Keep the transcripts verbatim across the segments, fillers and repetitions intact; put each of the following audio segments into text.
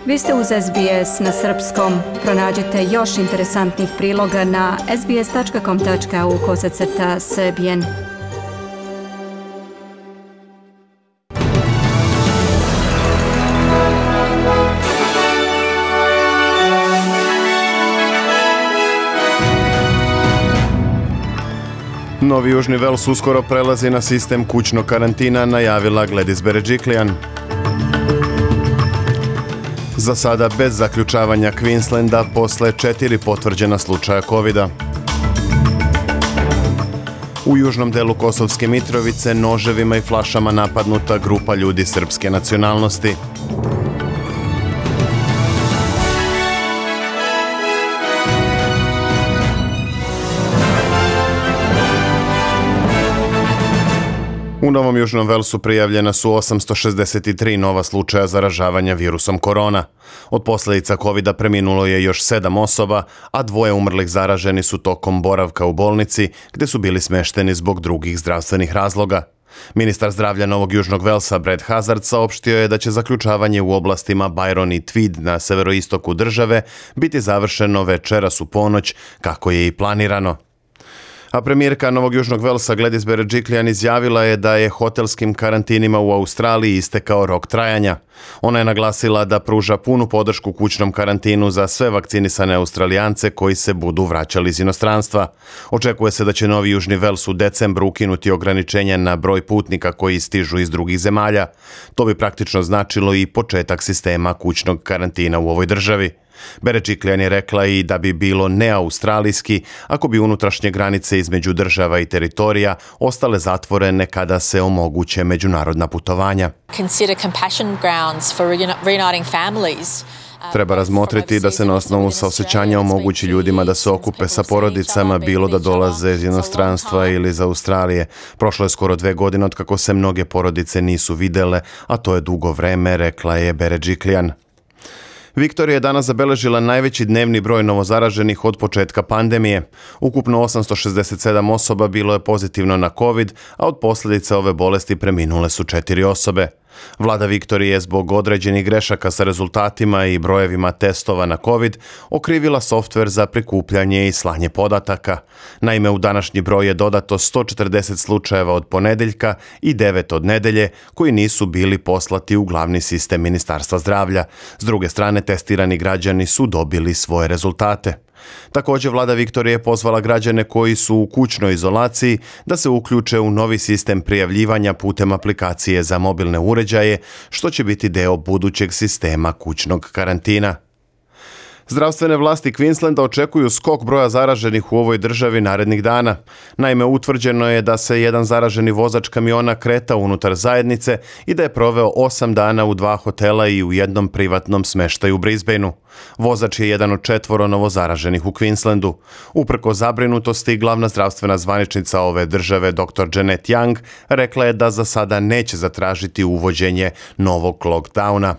Vi ste uz S B S na srpskom. Pronađite još interesantnih priloga na sbs.com.au kosacrta srbijen. Novi Južni Vels uskoro prelazi na sistem kućnog karantina, najavila Gladys Berejiklian. Za sada bez zaključavanja Queenslanda posle četiri potvrđena slučaja kovida. U južnom delu Kosovske Mitrovice noževima i flašama napadnuta grupa ljudi srpske nacionalnosti. U Novom Južnom Velsu prijavljena su osamsto šezdeset tri nova slučaja zaražavanja virusom korona. Od posljedica kovida preminulo je još sedam osoba, a dvoje umrlih zaraženi su tokom boravka u bolnici, gdje su bili smešteni zbog drugih zdravstvenih razloga. Ministar zdravlja Novog Južnog Velsa Brad Hazard saopštio je da će zaključavanje u oblastima Byron i Tweed na severoistoku države biti završeno večeras u ponoć, kako je i planirano. A premijerka Novog Južnog Velsa Gladys Berejiklian izjavila je da je hotelskim karantinima u Australiji istekao rok trajanja. Ona je naglasila da pruža punu podršku kućnom karantinu za sve vakcinisane Australijance koji se budu vraćali iz inostranstva. Očekuje se da će Novi Južni Vels u decembru ukinuti ograničenje na broj putnika koji stižu iz drugih zemalja. To bi praktično značilo i početak sistema kućnog karantina u ovoj državi. Berejiklian je rekla i da bi bilo neaustralijski ako bi unutrašnje granice između država i teritorija ostale zatvorene kada se omoguće međunarodna putovanja. Treba razmotriti da se na osnovu saosećanja omogući ljudima da se okupe sa porodicama, bilo da dolaze iz inostranstva ili iz Australije. Prošlo je skoro dve godine od kako se mnoge porodice nisu videle, a to je dugo vreme, rekla je Berejiklian. Viktorija je danas zabeležila najveći dnevni broj novozaraženih od početka pandemije. Ukupno osamsto šezdeset sedam osoba bilo je pozitivno na COVID, a od posljedica ove bolesti preminule su četiri osobe. Vlada Viktorije je zbog određenih grešaka sa rezultatima i brojevima testova na COVID okrivila softver za prikupljanje i slanje podataka. Naime, u današnji broj je dodato sto četrdeset slučajeva od ponedeljka i devet od nedelje koji nisu bili poslati u glavni sistem Ministarstva zdravlja. S druge strane, testirani građani su dobili svoje rezultate. Također, vlada Viktorije je pozvala građane koji su u kućnoj izolaciji da se uključe u novi sistem prijavljivanja putem aplikacije za mobilne uređaje, što će biti deo budućeg sistema kućnog karantina. Zdravstvene vlasti Queenslanda očekuju skok broja zaraženih u ovoj državi narednih dana. Naime, utvrđeno je da se jedan zaraženi vozač kamiona kretao unutar zajednice i da je proveo osam dana u dva hotela i u jednom privatnom smeštaju u Brisbaneu. Vozač je jedan od četvoro novozaraženih u Queenslandu. Uprko zabrinutosti, glavna zdravstvena zvaničnica ove države, doktor Janet Young, rekla je da za sada neće zatražiti uvođenje novog lockdowna.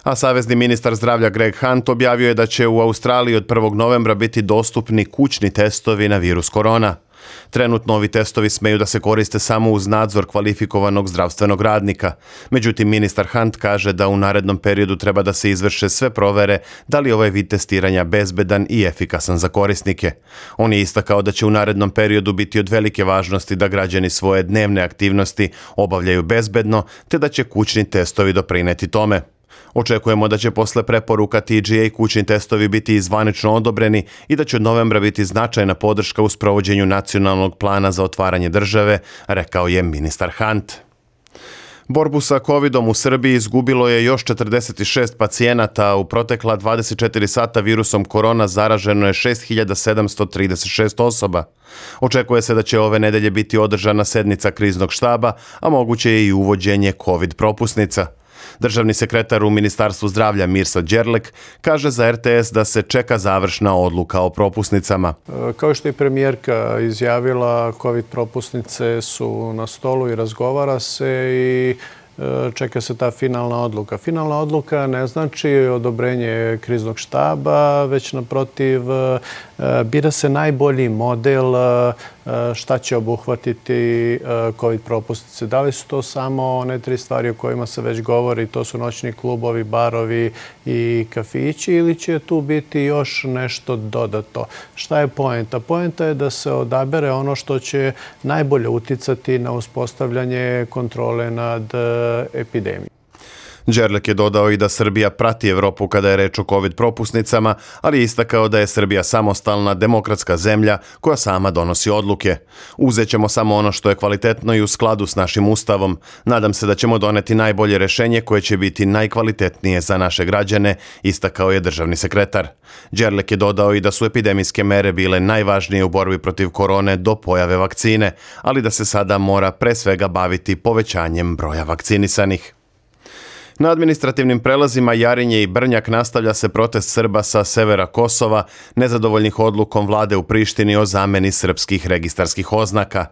A savezni ministar zdravlja Greg Hunt objavio je da će u Australiji od prvog novembra biti dostupni kućni testovi na virus korona. Trenutno ovi testovi smeju da se koriste samo uz nadzor kvalifikovanog zdravstvenog radnika. Međutim, ministar Hunt kaže da u narednom periodu treba da se izvrše sve provere da li ovaj vid testiranja bezbedan i efikasan za korisnike. On je istakao da će u narednom periodu biti od velike važnosti da građani svoje dnevne aktivnosti obavljaju bezbedno, te da će kućni testovi doprineti tome. Očekujemo da će posle preporuka T G A kućni testovi biti zvanično odobreni i da će od novembra biti značajna podrška u sprovođenju nacionalnog plana za otvaranje države, rekao je ministar Hunt. Borbu sa covidom u Srbiji izgubilo je još četrdeset šest pacijenata, a u protekla dvadeset četiri sata virusom korona zaraženo je šest hiljada sedamsto trideset šest osoba. Očekuje se da će ove nedelje biti održana sednica kriznog štaba, a moguće je i uvođenje covid propusnica. Državni sekretar u Ministarstvu zdravlja Mirsa Đerlek kaže za R T S da se čeka završna odluka o propusnicama. Kao što je premijerka izjavila, covid propusnice su na stolu i razgovara se i čeka se ta finalna odluka. Finalna odluka ne znači odobrenje kriznog štaba, već naprotiv bira se najbolji model šta će obuhvatiti COVID propusnice. Da li su to samo one tri stvari o kojima se već govori, to su noćni klubovi, barovi i kafići, ili će tu biti još nešto dodato? Šta je poenta? Poenta je da se odabere ono što će najbolje uticati na uspostavljanje kontrole nad epidemijom. Đerlek je dodao i da Srbija prati Evropu kada je reč o COVID propusnicama, ali je istakao da je Srbija samostalna, demokratska zemlja koja sama donosi odluke. Uzet ćemo samo ono što je kvalitetno i u skladu s našim ustavom. Nadam se da ćemo doneti najbolje rešenje koje će biti najkvalitetnije za naše građane, istakao je državni sekretar. Đerlek je dodao i da su epidemijske mere bile najvažnije u borbi protiv korone do pojave vakcine, ali da se sada mora pre svega baviti povećanjem broja vakcinisanih. Na administrativnim prelazima Jarinje i Brnjak nastavlja se protest Srba sa severa Kosova, nezadovoljnih odlukom vlade u Prištini o zameni srpskih registarskih oznaka.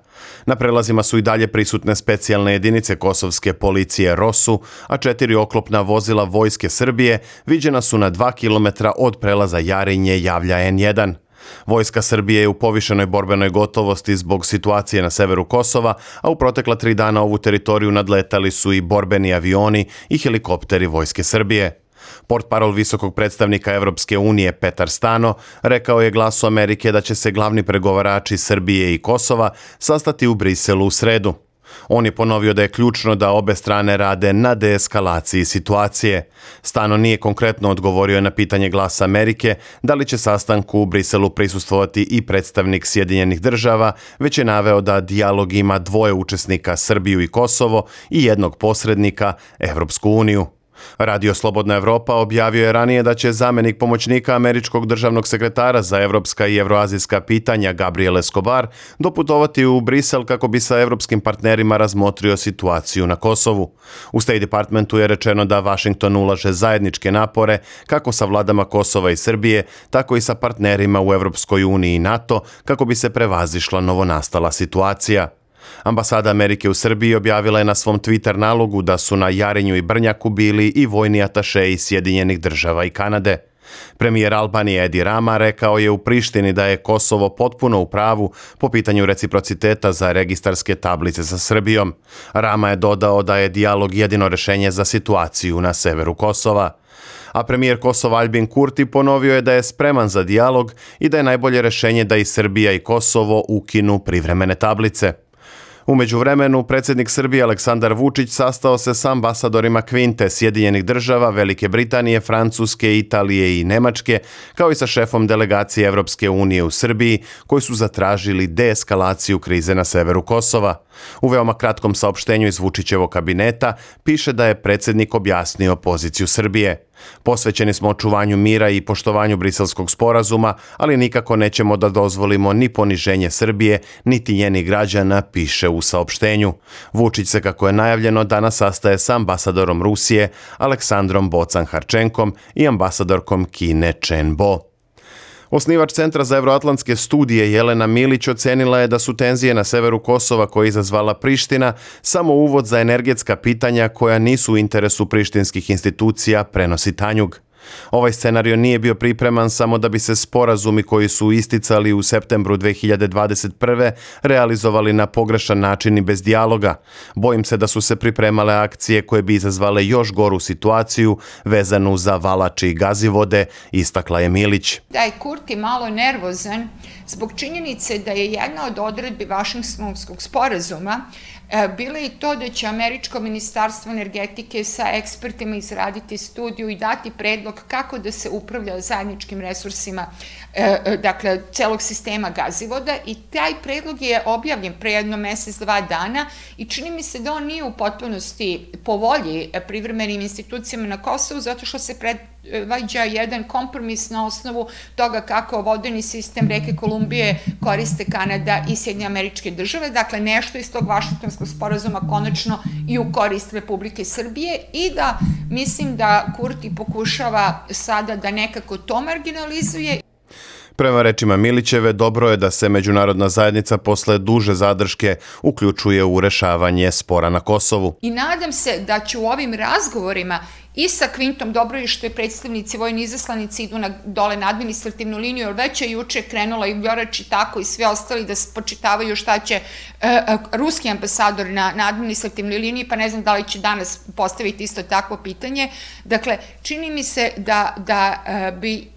Na prelazima su i dalje prisutne specijalne jedinice kosovske policije ROSU, a četiri oklopna vozila Vojske Srbije viđena su na dva kilometra od prelaza Jarinje, javlja en jedan. Vojska Srbije je u povišenoj borbenoj gotovosti zbog situacije na severu Kosova, a u protekla tri dana ovu teritoriju nadletali su i borbeni avioni i helikopteri Vojske Srbije. Portparol visokog predstavnika Evropske unije Petar Stano rekao je Glasu Amerike da će se glavni pregovarači Srbije i Kosova sastati u Briselu u sredu. On je ponovio da je ključno da obe strane rade na deeskalaciji situacije. Stano nije konkretno odgovorio na pitanje Glasa Amerike da li će sastanku u Briselu prisustvovati i predstavnik Sjedinjenih država, već je naveo da dijalog ima dvoje učesnika, Srbiju i Kosovo, i jednog posrednika, Evropsku uniju. Radio Slobodna Evropa objavio je ranije da će zamenik pomoćnika američkog državnog sekretara za evropska i evroazijska pitanja Gabriel Escobar doputovati u Brisel kako bi sa evropskim partnerima razmotrio situaciju na Kosovu. U State Departmentu je rečeno da Washington ulaže zajedničke napore kako sa vladama Kosova i Srbije, tako i sa partnerima u Evropskoj uniji i NATO kako bi se prevazišla novonastala situacija. Ambasada Amerike u Srbiji objavila je na svom Twitter nalogu da su na Jarinju i Brnjaku bili i vojni atašeji Sjedinjenih država i Kanade. Premijer Albanije Edi Rama rekao je u Prištini da je Kosovo potpuno u pravu po pitanju reciprociteta za registarske tablice sa Srbijom. Rama je dodao da je dijalog jedino rešenje za situaciju na severu Kosova. A premijer Kosova Aljbin Kurti ponovio je da je spreman za dijalog i da je najbolje rešenje da i Srbija i Kosovo ukinu privremene tablice. U međuvremenu, predsjednik Srbije Aleksandar Vučić sastao se s ambasadorima Kvinte, Sjedinjenih država, Velike Britanije, Francuske, Italije i Nemačke, kao i sa šefom delegacije Evropske unije u Srbiji, koji su zatražili deeskalaciju krize na severu Kosova. U veoma kratkom saopštenju iz Vučićevog kabineta piše da je predsjednik objasnio poziciju Srbije. Posvećeni smo očuvanju mira i poštovanju Briselskog sporazuma, ali nikako nećemo da dozvolimo ni poniženje Srbije, niti njenih građana, piše u saopštenju. Vučić se, kako je najavljeno, danas sastaje sa ambasadorom Rusije Aleksandrom Bocan-Harčenkom i ambasadorkom Kine Chen Bo. Osnivač Centra za evroatlantske studije Jelena Milić ocenila je da su tenzije na severu Kosova koje je izazvala Priština samo uvod za energetska pitanja koja nisu u interesu prištinskih institucija, prenosi Tanjug. Ovaj scenario nije bio pripreman samo da bi se sporazumi koji su isticali u septembru dve hiljade dvadeset prve realizovali na pogrešan način i bez dijaloga. Bojim se da su se pripremale akcije koje bi izazvale još goru situaciju vezanu za Valači i Gazivode, istakla je Milić. Da je Kurti malo nervozan zbog činjenice da je jedna od odredbi Vašingtonskog sporazuma bilo i to da će Američko ministarstvo energetike sa ekspertima izraditi studiju i dati predlog kako da se upravlja zajedničkim resursima, dakle, celog sistema gazivoda, i taj predlog je objavljen pre jedno mesec, dva dana i čini mi se da on nije u potpunosti po volji privremenim institucijama na Kosovu, zato što se predvađa jedan kompromis na osnovu toga kako vodeni sistem reke Kolumbije koriste Kanada i Sjedinjene Američke Države, dakle nešto iz tog Vašingtonskog sporazuma konačno i u korist Republike Srbije, i da mislim da Kurti pokušava sada da nekako to marginalizuje. Prema rečima Milićeve, dobro je da se međunarodna zajednica posle duže zadrške uključuje u rešavanje spora na Kosovu. I nadam se da će u ovim razgovorima i sa Kvintom. Dobro je što je predstavnici, vojni izaslanici idu na, dole na administrativnu liniju, jer već je juče krenula i Vjorač i tako i sve ostali da spočitavaju šta će uh, uh, ruski ambasador na, na administrativnoj liniji, pa ne znam da li će danas postaviti isto takvo pitanje. Dakle, čini mi se da, da uh, bi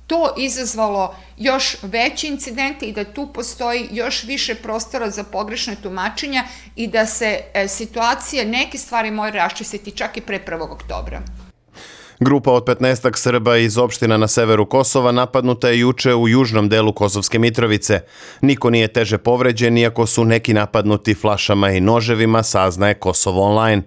to izazvalo još veće incidente i da tu postoji još više prostora za pogrešne tumačenja i da se e, situacija, neke stvari moje raščistiti čak i pre prvog oktobra. Grupa od petnaestak Srba iz opština na severu Kosova napadnuta je juče u južnom delu Kosovske Mitrovice. Niko nije teže povređen, iako su neki napadnuti flašama i noževima, saznaje Kosovo online.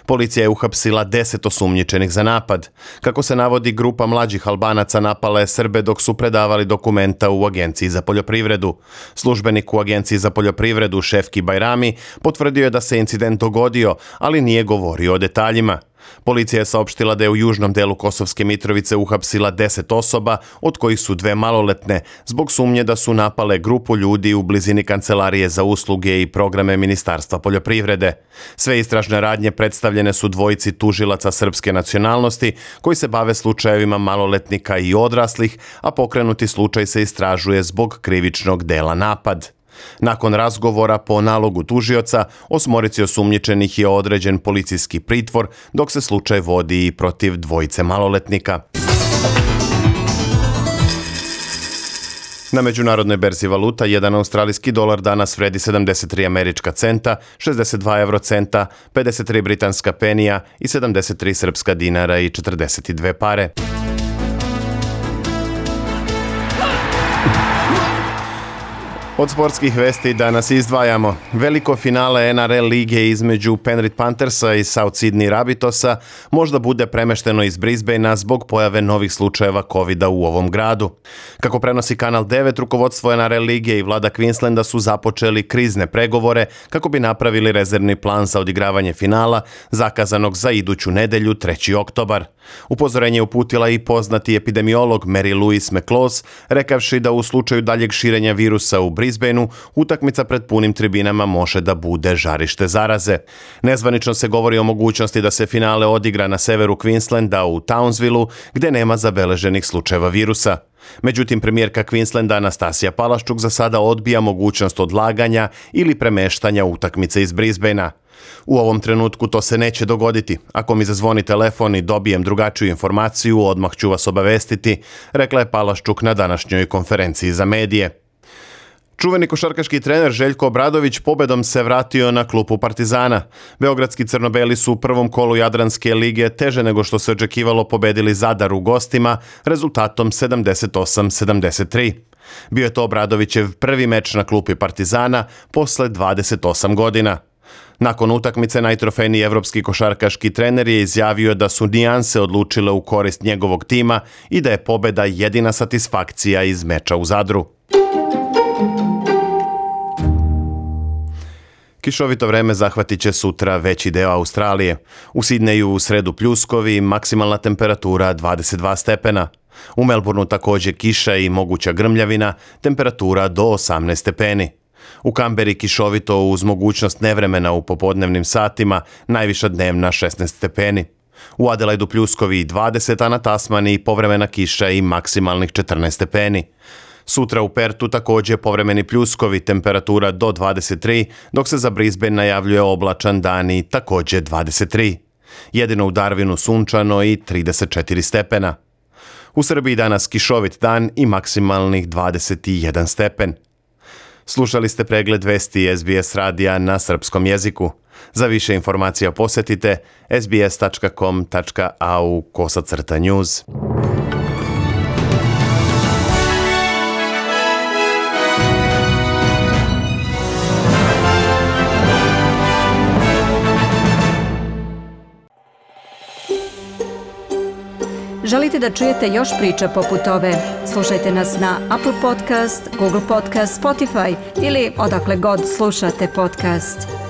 Policija je uhapsila deset osumnjičenih za napad. Kako se navodi, grupa mlađih Albanaca napala je Srbe dok su predavali dokumenta u Agenciji za poljoprivredu. Službenik u Agenciji za poljoprivredu Šefki Bajrami potvrdio je da se incident dogodio, ali nije govorio o detaljima. Policija je saopštila da je u južnom delu Kosovske Mitrovice uhapsila deset osoba, od kojih su dve maloletne, zbog sumnje da su napale grupu ljudi u blizini Kancelarije za usluge i programe Ministarstva poljoprivrede. Sve istražne radnje predstavljene su dvojici tužilaca srpske nacionalnosti koji se bave slučajevima maloletnika i odraslih, a pokrenuti slučaj se istražuje zbog krivičnog dela napad. Nakon razgovora po nalogu tužioca, osmorici osumnjičenih je određen policijski pritvor, dok se slučaj vodi i protiv dvojice maloletnika. Na međunarodnoj berzi valuta jedan australijski dolar danas vredi sedamdeset tri američka centa, šezdeset dva evrocenta, pedeset tri britanska penija i sedamdeset tri srpska dinara i četrdeset dve pare. Od sportskih vesti danas izdvajamo. Veliko finale N R L lige između Penrith Panthersa i South Sydney Rabbitohsa možda bude premešteno iz Brisbanea zbog pojave novih slučajeva kovida u ovom gradu. Kako prenosi Kanal devet, rukovodstvo N R L lige i vlada Queenslanda su započeli krizne pregovore kako bi napravili rezervni plan za odigravanje finala, zakazanog za iduću nedelju, treći oktobar. Upozorenje je uputila i poznati epidemiolog Mary Louise McLaws, rekavši da u slučaju daljeg širenja virusa u Brisbaneu, utakmica pred punim tribinama može da bude žarište zaraze. Nezvanično se govori o mogućnosti da se finale odigra na severu Queenslanda u Townsvilleu, gde nema zabeleženih slučajeva virusa. Međutim, premijerka Queenslanda Anastasija Palaščuk za sada odbija mogućnost odlaganja ili premeštanja utakmice iz Brisbanea. U ovom trenutku to se neće dogoditi. Ako mi zazvoni telefon i dobijem drugačiju informaciju, odmah ću vas obavestiti, rekla je Palaščuk na današnjoj konferenciji za medije. Čuveni košarkaški trener Željko Obradović pobedom se vratio na klupu Partizana. Beogradski crnobeli su u prvom kolu Jadranske lige teže nego što se očekivalo pobedili Zadar u gostima rezultatom sedamdeset osam sedamdeset tri. Bio je to Obradovićev prvi meč na klupi Partizana posle dvadeset osam godina. Nakon utakmice najtrofejniji evropski košarkaški trener je izjavio da su nijanse odlučile u korist njegovog tima i da je pobeda jedina satisfakcija iz meča u Zadru. Kišovito vreme zahvatit će sutra veći deo Australije. U Sidneju u sredu pljuskovi, maksimalna temperatura dvadeset dva stepena. U Melbourneu također kiša i moguća grmljavina, temperatura do osamnaest stepeni. U Kamberi kišovito uz mogućnost nevremena u popodnevnim satima, najviša dnevna šesnaest stepeni. U Adelaidu pljuskovi dvadeset, a na Tasmaniji povremena kiša i maksimalnih četrnaest stepeni. Sutra u Pertu također povremeni pljuskovi, temperatura do dvadeset tri, dok se za Brisbane najavljuje oblačan dan i također dvadeset tri. Jedino u Darwinu sunčano i trideset četiri stepena. U Srbiji danas kišovit dan i maksimalnih dvadeset jedan stepen. Slušali ste pregled vesti S B S radija na srpskom jeziku. Za više informacija posjetite s b s tačka com tačka a u kosacrta news. Želite da čujete još priča poput ove? Slušajte nas na Apple Podcast, Google Podcast, Spotify ili odakle god slušate podcast.